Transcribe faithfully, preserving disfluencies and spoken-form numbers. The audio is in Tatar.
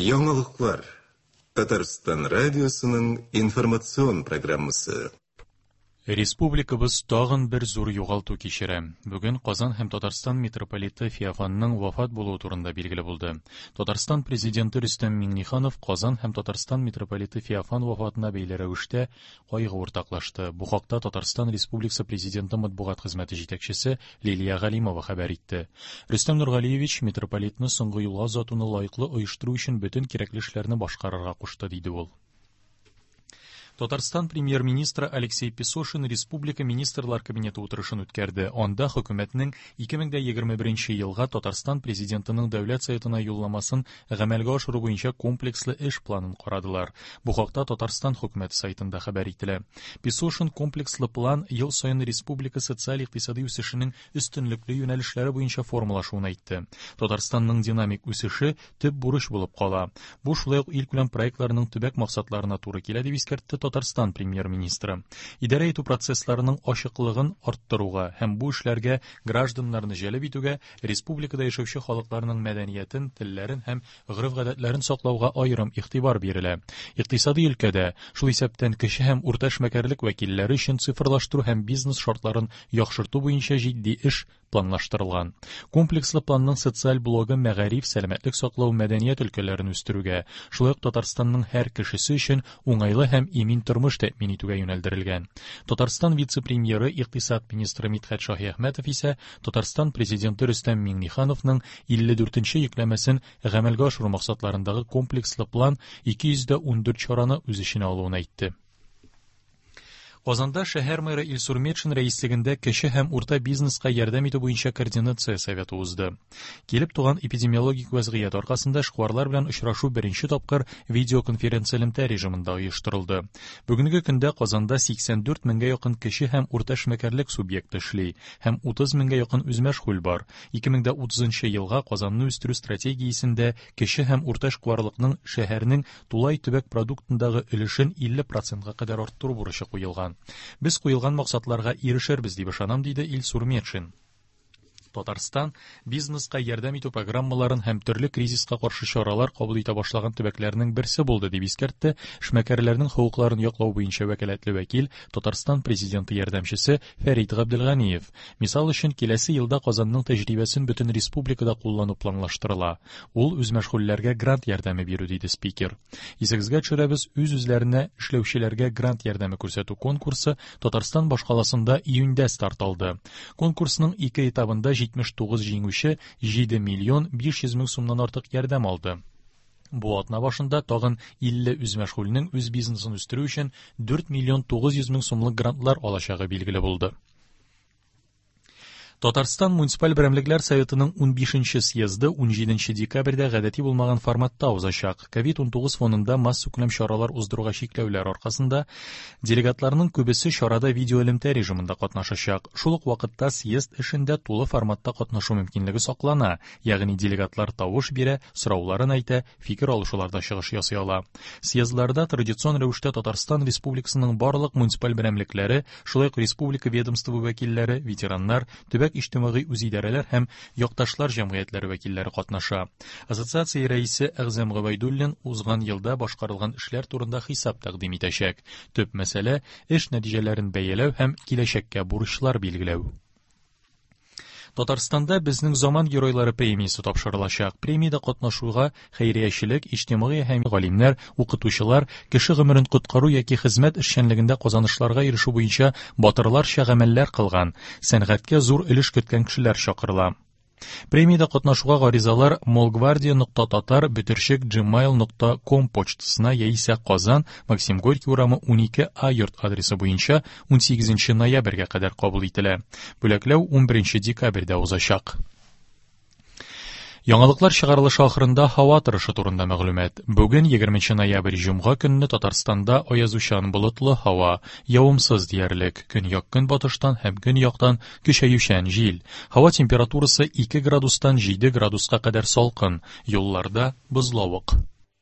Яңалыклар. Татарстан радиосының информацион программасы. Республикабыз тагын бер зур югалту кичерә. Бүген Казан һәм Татарстан митрополиты Феофанның вафат булуы турында билгеле булды. Татарстан президенты Рөстәм Миңнеханов Казан һәм Татарстан митрополиты Феофан вафатына бәйле рәвештә кайгы уртаклашты. Бу хакта Татарстан Республикасы президенты матбугат хезмәте җитәкчесе Лилия Галимова хәбәр итте. Рөстәм Нургалиевич митрополитны соңгы юлга озатуны лаеклы оештыру өчен бөтен кирәкле эшләрне башкарырга кушты, диде ул. Татарстан премьер-министры Алексей Песошин Республика Министрлар Кабинеты утырышын үткәрде. Анда хөкүмәтнең ике мең дә егерме беренче елга Татарстан президентының дәүләт советына юлламасын гамәлгә ашыру буенча комплекслы эш планын карадылар. Бу хакта Татарстан хөкүмәте сайтында хәбәр ителә. Песошин комплекслы план ел саен республика социаль-икътисади үсешенең өстенлекле юнәлешләре буенча формалашуын әйтте. Татарстанның динамик үсеше төп бурыч булып кала. Бу шулай ук илкүләм проектларының төбәк максатларына туры килә, дип искәртте Татарстан премьер-министры. Идарә итү процессларының ачыклыгын арттыруга һәм бу эшләргә гражданнарны җәлеп итүгә, республикада яшәүче халыкларның мәдәниятен, телләрен һәм гореф-гадәтләрен саклауга аерым игътибар бирелә. Икътисади өлкәдә, шул исәптән кече һәм урта эшмәкәрлек вәкилләре өчен цифрлаштыру һәм бизнес шартларын яхшырту буенча җитди эш планлаштырылган. Комплекслы планның социаль блогы мәгариф, сәламәтлек саклау, мәдәният өлкәләрен үстерүгә, шулай ук Татарстанның һәр кешесе өчен уңайлы һәм имин тормыш тәэмин итүгә юнәлдерелгән. Татарстан вице-премьеры, икътисад министры Мидхәт Шаһиәхмәтов исә Татарстан президенты Рөстәм Миңнехановның илле дүртенче йөкләмәсен гамәлгә ашыру максатларындагы комплекслы план ике йөз дә ундүрт чараны үз эченә алуын әйтте. Казанда шәһәр мэры Илсур Метшин рәислегендә кече һәм урта бизнеска ярдәм итү буенча координация советы узды. Килеп туган эпидемиологик вәзгыять аркасында эшкуарлар белән очрашу беренче тапкыр видеоконференция элемтә режимында оештырылды. Бүгенге көндә Казанда сиксән дүрт меңгә якын кече һәм урта эшмәкәрлек субъекты эшли һәм утыз меңгә якын үзмәшгуль бар. Ике мең дә утызынчы елга Казанны үстерү стратегиясендә кече һәм урта эшкуарлыкның шәһәрнең тулай төбәк продуктындагы өлешен илле процентка кадәр арттыру бурычы куелган. Без куелган максатларга ирешербез дип ышанам, диде Илсур Метшин. Татарстан бизнеска ярдәм итү программаларын һәм төрле кризиска каршы чаралар кабул итә башлаган төбәкләрнең берсе булды, дип искәртте эшмәкәрләрнең хокукларын яклау буенча вәкаләтле вәкил, Татарстан президенты ярдәмчесе Фәрит Габделганиев. Мисал өчен, киләсе елда Казанның тәҗрибәсен бөтен республикада куллану планлаштырыла. Ул үзмәшгульләргә грант ярдәме бирү, диде спикер. Исегезгә төшерәбез, үз-үзләренә эшләүчеләргә грант ярдәме күрсәтү конкурсы Татарстан башкаласында июньдә старт алды. Конкурсның ике этабында җитмеш тугыз җиңүче җиде миллион биш йөз мең сумнан артык ярдәм алды. Бу атна башында тагын илле үзмәшгульнең үз бизнесын үстерү өчен дүрт миллион тугыз йөз мең сумлык грантлар алачагы билгеле булды. Татарстан муниципаль берәмлекләр советының унбишенче съезды унҗиденче декабрьдә гадәти булмаган форматта узачак. Ковид унтугыз фонында массакүләм чаралар уздыруга чикләүләр аркасында делегатларның күбесе чарада видеоэлемтә режимында катнашачак. Шул ук вакытта съезд эшендә тулы форматта катнашу мөмкинлеге саклана, ягъни делегатлар тавыш бирә, сорауларын әйтә, фикер алышуларда чыгыш ясый ала. Съездларда традицион рәвештә Татарстан Республикасының барлык муниципаль берәмлекләре, шулай ук республика ведомство вәкилләре, ветераннар, төбәк иҗтимагый үзидарәләр һәм якташлар җәмгыятьләре вәкилләре катнаша. Ассоциация рәисе Әгъзам Гобәйдуллин узган елда башкарылган эшләр турында хисап тәкъдим итәчәк. Төп мәсьәлә эш нәтиҗәләрен бәяләү һәм киләчәккә бурычлар билгеләү. Татарстанда Безнең заман геройлары премиясе тапшырылачак. Премиядә катнашуга хәйриячелек, иҗтимагый һәм галимнәр, укытучылар, кеше гомерен коткару яки хезмәт эшчәнлегендә казанышларга ирешү буенча батырларча гамәлләр кылган, сәнгатькә зур өлеш керткән кешеләр чакырыла. Премиядә катнашуга гаризалар молгвардия нокта татар бөтерчек gmail нокта ком почтасына яисә Казан, Максим Горький урамы унике А йорт адресы буенча унсигезенче ноябрьгә кадәр кабул ителә. Бүләкләү унберенче декабрьдә узачак. Яңалыклар чыгарылышы ахырында һава торышы турында мәгълүмат. Бүген егерменче ноябрь җомга көнне Татарстанда аязучан болытлы һава, явымсыз диярлек, көньяк-көнбатыштан һәм көньяктан көчәючән җил. Һава температурасы ике градустан җиде градуска кадәр салкын, юлларда бозлавык.